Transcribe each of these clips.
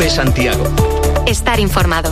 COPE Santiago. Estar informado.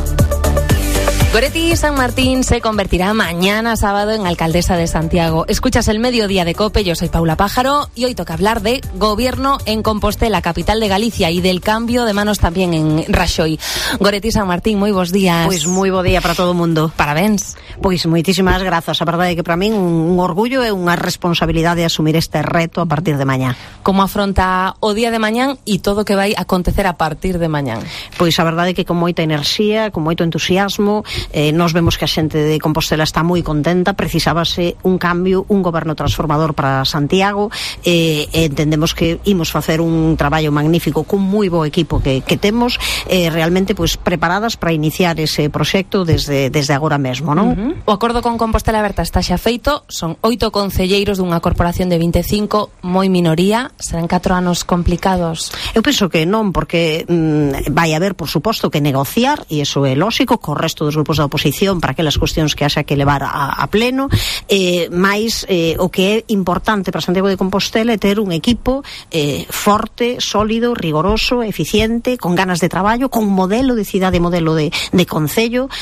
Goretti San Martín se convertirá mañana sábado en alcaldesa de Santiago. Escuchas el Mediodía de COPE, yo soy Paula Pájaro y hoy toca hablar de gobierno en Compostela, capital de Galicia, y del cambio de manos también en Raxoi. Goretti San Martín, moi bons días. Pois moi bo día para todo o mundo. Parabéns. Pois moitísimas grazas. A verdade é que para min un orgullo e unha responsabilidade asumir este reto a partir de mañá. Como afronta o día de mañán e todo o que vai acontecer a partir de mañán? Pois a verdade é que con moita enerxía, con moito entusiasmo. Nos vemos que a xente de Compostela está moi contenta. Precisábase un cambio, un goberno transformador para Santiago. Entendemos que imos facer un traballo magnífico con moi bo equipo que temos, realmente pois preparadas para iniciar ese proxecto desde agora mesmo, non? O acordo con Compostela Aberta está xa feito. Son 8 concelleiros dunha corporación de 25, moi minoría. Serán 4 anos complicados? Eu penso que non, porque vai haber, por suposto, que negociar, e iso é lógico, co resto dos grupos da oposición para aquelas cuestións que haxa que levar a pleno, mais o que é importante para Santiago de Compostela é ter un equipo forte, sólido, rigoroso, eficiente, con ganas de traballo, con modelo de cidade, modelo de concello,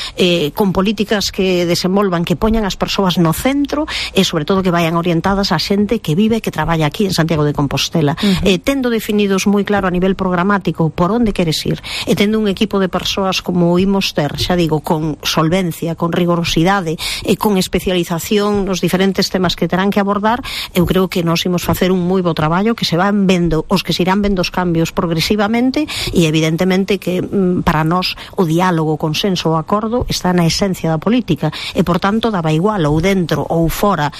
con políticas que desenvolvan, que poñan as persoas no centro e sobre todo que vayan orientadas a xente que vive, que traballa aquí en Santiago de Compostela, tendo definidos moi claro a nivel programático por onde queres ir, e tendo un equipo de persoas como imos ter, xa digo, con solvencia, con rigorosidade e con especialización nos diferentes temas que terán que abordar. Eu creo que nós imos facer un moi bo traballo, que se van vendo, os que se irán vendo os cambios progresivamente, e evidentemente que para nós o diálogo, o consenso, o acordo está na esencia da política, e por tanto daba igual ou dentro ou fora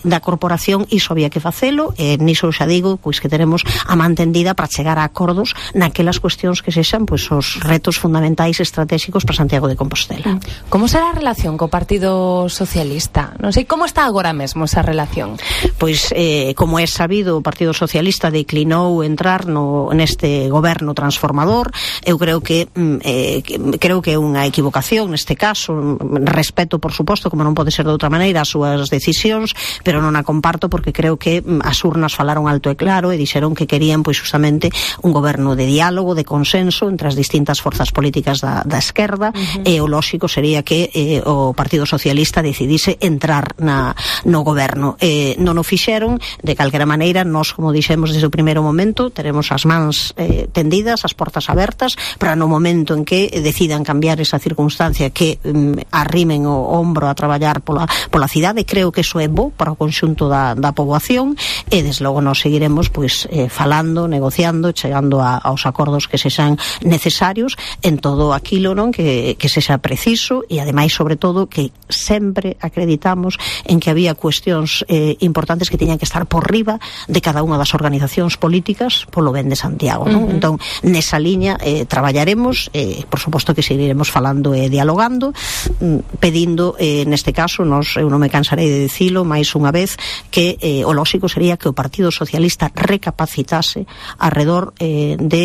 da corporación, iso había que facelo, e niso xa digo pois que teremos a man tendida para chegar a acordos naquelas cuestións que sexan pois os retos fundamentais estratégicos para Santiago de Compostela. Como será a relación co Partido Socialista? Non sei, como está agora mesmo esa relación? Pois, como é sabido, o Partido Socialista declinou entrar neste goberno transformador. Eu creo que é unha equivocación neste caso. Respeto, por suposto, como non pode ser de outra maneira, as súas decisións, pero non a comparto porque creo que as urnas falaron alto e claro e dixeron que querían, pois, justamente un goberno de diálogo, de consenso entre as distintas forzas políticas da esquerda, e o lóxico sería que o Partido Socialista decidise entrar no goberno. Non o fixeron, de calquera maneira, nós, como dixemos desde o primeiro momento, teremos as mans tendidas, as portas abertas, para no momento en que decidan cambiar esa circunstancia, que arrimen o ombro a traballar pola cidade. Creo que iso é bo para o conxunto da poboación, e desde logo nós seguiremos pois falando, negociando, chegando aos acordos que sexan necesarios en todo aquilo, non, que sexa preciso, e ademais, sobre todo, que sempre acreditamos en que había cuestións importantes que tiñan que estar por riba de cada unha das organizacións políticas polo ben de Santiago, non? Entón, nesa liña traballaremos, por suposto que seguiremos falando e dialogando, pedindo, neste caso, eu non me cansarei de dicilo máis unha vez, que o lóxico sería que o Partido Socialista recapacitase arredor de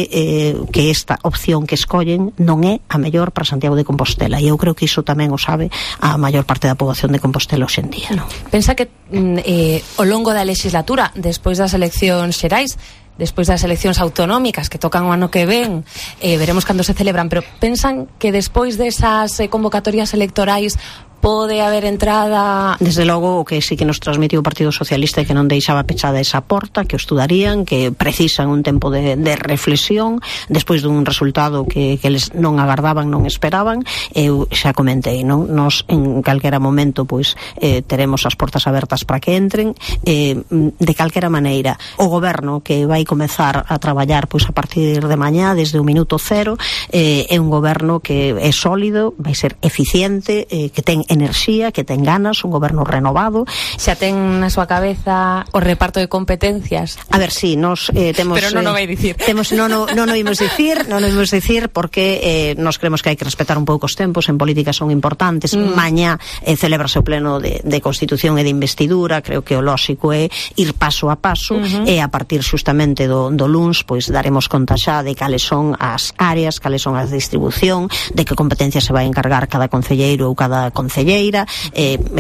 que esta opción que escollen non é a mellor para Santiago de Compostela, e eu creo que iso tamén o sabe a maior parte da poboación de Compostela hoxe en día, non? Pensa que ao longo da legislatura, despois das eleccións xerais, despois das eleccións autonómicas que tocan o ano que ven, veremos cando se celebran, pero pensan que despois desas convocatorias electorais pode haber entrada? Desde logo, o que sí que nos transmitiu o Partido Socialista é que non deixaba pechada esa porta, que o estudarían, que precisan un tempo de reflexión despois dun resultado que eles non agardaban, non esperaban. Eu xa comentei, non? Nos en calquera momento pois teremos as portas abertas para que entren. De calquera maneira, o goberno que vai comezar a traballar pois a partir de mañá, desde o minuto cero, é un goberno que é sólido, vai ser eficiente, que ten enerxía, que ten ganas, un goberno renovado. Xa ten na súa cabeza o reparto de competencias? A ver, si, nos temos... Pero non o vai dicir. Non o imos dicir porque nos creemos que hai que respetar un pouco os tempos, en política son importantes. Mañá celebrase o pleno de Constitución e de Investidura, creo que o lóxico é ir paso a paso, e a partir justamente do luns, pois daremos conta xa de cales son as áreas, cales son as distribución, de que competencia se vai encargar cada concelleiro ou cada concelleira concelleira.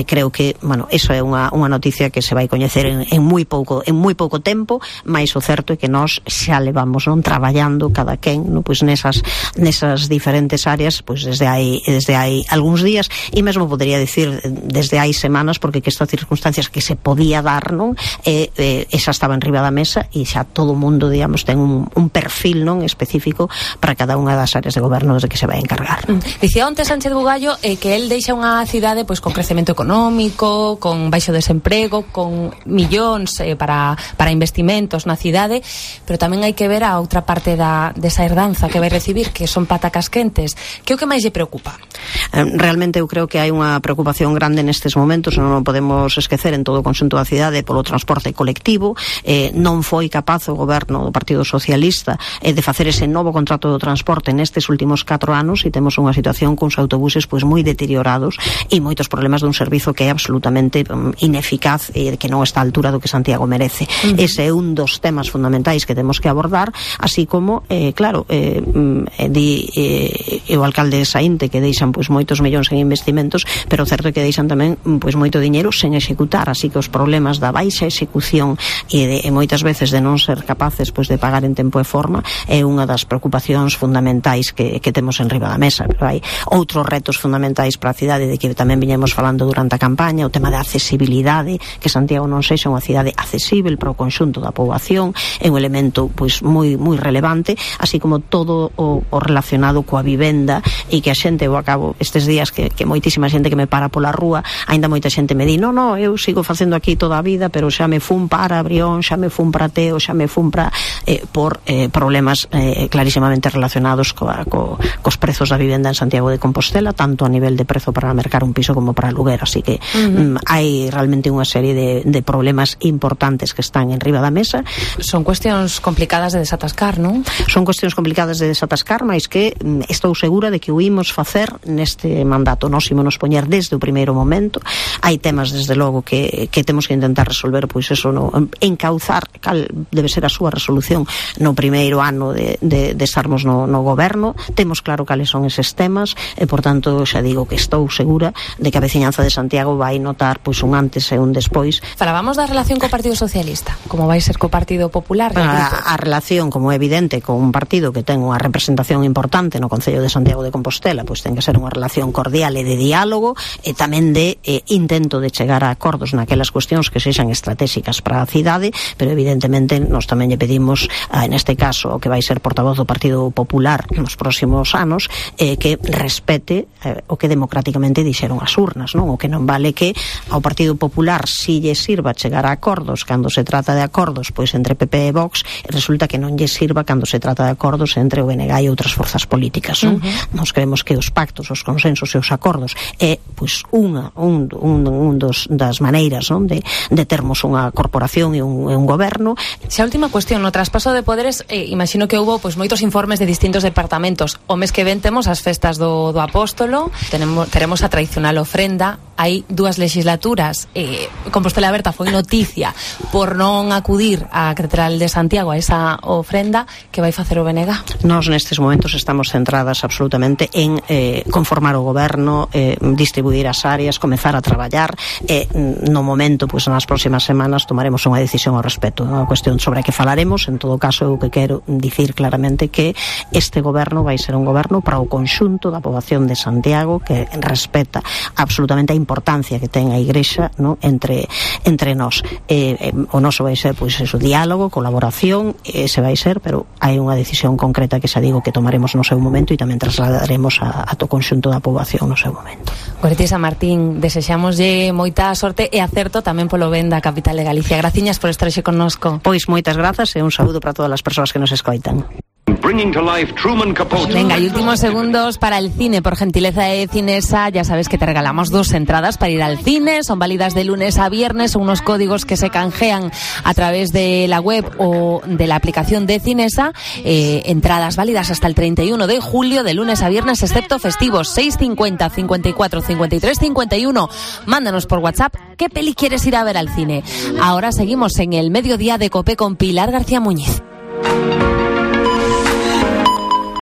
Creo que, bueno, iso é unha noticia que se vai coñecer en moi pouco tempo, mais o certo é que nós xa levamos traballando cada quen pois nesas diferentes áreas pois desde hai algúns días, e mesmo podería dicir desde hai semanas, porque que estas circunstancias que se podía dar esa estaba en riba da mesa e xa todo o mundo, digamos, ten un perfil específico para cada unha das áreas de goberno de que se vai encargar. Dicía onte Sánchez Bugallo que el deixa unha cidade pois con crecemento económico, con baixo desemprego, con millóns para investimentos na cidade, pero tamén hai que ver a outra parte desa herdanza que vai recibir, que son patacas quentes. Que é o que máis lle preocupa? Realmente eu creo que hai unha preocupación grande nestes momentos, non podemos esquecer en todo o conxunto da cidade polo transporte colectivo. Non foi capaz o goberno do Partido Socialista de facer ese novo contrato do transporte nestes últimos 4 anos, e temos unha situación cuns autobuses pois moi deteriorados e moitos problemas dun servizo que é absolutamente ineficaz e que non está á altura do que Santiago merece. Ese é un dos temas fundamentais que temos que abordar, así como, claro, o alcalde de Saínte que deixan pois moitos millóns en investimentos, pero o certo é que deixan tamén pois moito diñeiro sen executar, así que os problemas da baixa execución e moitas veces de non ser capaces pois de pagar en tempo e forma é unha das preocupacións fundamentais que temos en riba da mesa. Pero hai outros retos fundamentais para a cidade de que tamén viñemos falando durante a campaña, o tema da accesibilidade, que Santiago non sexa unha cidade accesible para o conxunto da poboación, é un elemento pois moi relevante, así como todo o relacionado coa vivenda, e que a xente, eu acabo estes días que moitísima xente que me para pola rúa, aínda moita xente me di, non, eu sigo facendo aquí toda a vida, pero xa me fun para Brión, xa me fun para Teo, xa me fun para por problemas clarísimamente relacionados cos prezos da vivenda en Santiago de Compostela, tanto a nivel de prezo para mercar un piso como para aluguer, así que hai realmente unha serie de problemas importantes que están en riba da mesa. Son cuestións complicadas de desatascar, non? Son cuestións complicadas de desatascar, mas que estou segura de que o imos facer neste mandato. Nós ímonos poñer desde o primeiro momento. Hai temas, desde logo, que temos que intentar resolver, pois eso, encauzar cal debe ser a súa resolución no primeiro ano de estarmos no goberno. Temos claro cales son eses temas e, por tanto, xa digo que estou segura de que a veciñanza de Santiago vai notar pois un antes e un despois. Falábamos da relación co Partido Socialista, como vai ser co Partido Popular? A relación, como é evidente, con un partido que ten unha representación importante no Concello de Santiago de Compostela, pois ten que ser unha relación cordial e de diálogo, e tamén de intento de chegar a acordos naquelas cuestións que sexan estratégicas para a cidade, pero evidentemente nós tamén lle pedimos, neste caso, o que vai ser portavoz do Partido Popular nos próximos anos, que respete o que democráticamente dixeron as urnas, non? O que non vale que ao Partido Popular si lle sirva chegar a acordos cando se trata de acordos pois entre PP e Vox, e resulta que non lle sirva cando se trata de acordos entre o BNG e outras forzas políticas, non? Nos creemos que os pactos, os consensos e os acordos é pois das maneiras, non? de termos unha corporación e un goberno. Xa última cuestión, no traspaso de poderes, imagino que houbo pois moitos informes de distintos departamentos. O mes que ven temos as festas do Apóstolo, teremos a tradicional ofrenda. Hai 2 legislaturas, Compostela Aberta foi noticia por non acudir á Catedral de Santiago a esa ofrenda. Que vai facer o BNG? Nós nestes momentos estamos centradas absolutamente en conformar o goberno, distribuir as áreas, comezar a traballar, no momento, pois nas próximas semanas tomaremos unha decisión ao respecto. É unha cuestión sobre a que falaremos. En todo caso, eu que quero dicir claramente que este goberno vai ser un goberno para o conxunto da poboación de Santiago, que respeta absolutamente a importancia que ten a Igrexa, no? entre nós. O noso vai ser pois eso, diálogo, colaboración, ese vai ser, pero hai unha decisión concreta que xa digo que tomaremos no seu momento e tamén trasladaremos a to conxunto da poboación no seu momento. Goretti San Martín, desexámoslle moita sorte e acerto tamén polo ben da capital de Galicia. Graciñas por estar xe connosco. Pois moitas grazas e un saúdo para todas as persoas que nos escoitan. Venga, y últimos segundos para el cine. Por gentileza de Cinesa, ya sabes que te regalamos 2 entradas para ir al cine. Son válidas de lunes a viernes. Son unos códigos que se canjean a través de la web o de la aplicación de Cinesa. Entradas válidas hasta el 31 de julio, de lunes a viernes, excepto festivos. 650 54 53 51. Mándanos por WhatsApp qué peli quieres ir a ver al cine. Ahora seguimos en el mediodía de COPE con Pilar García Muñiz.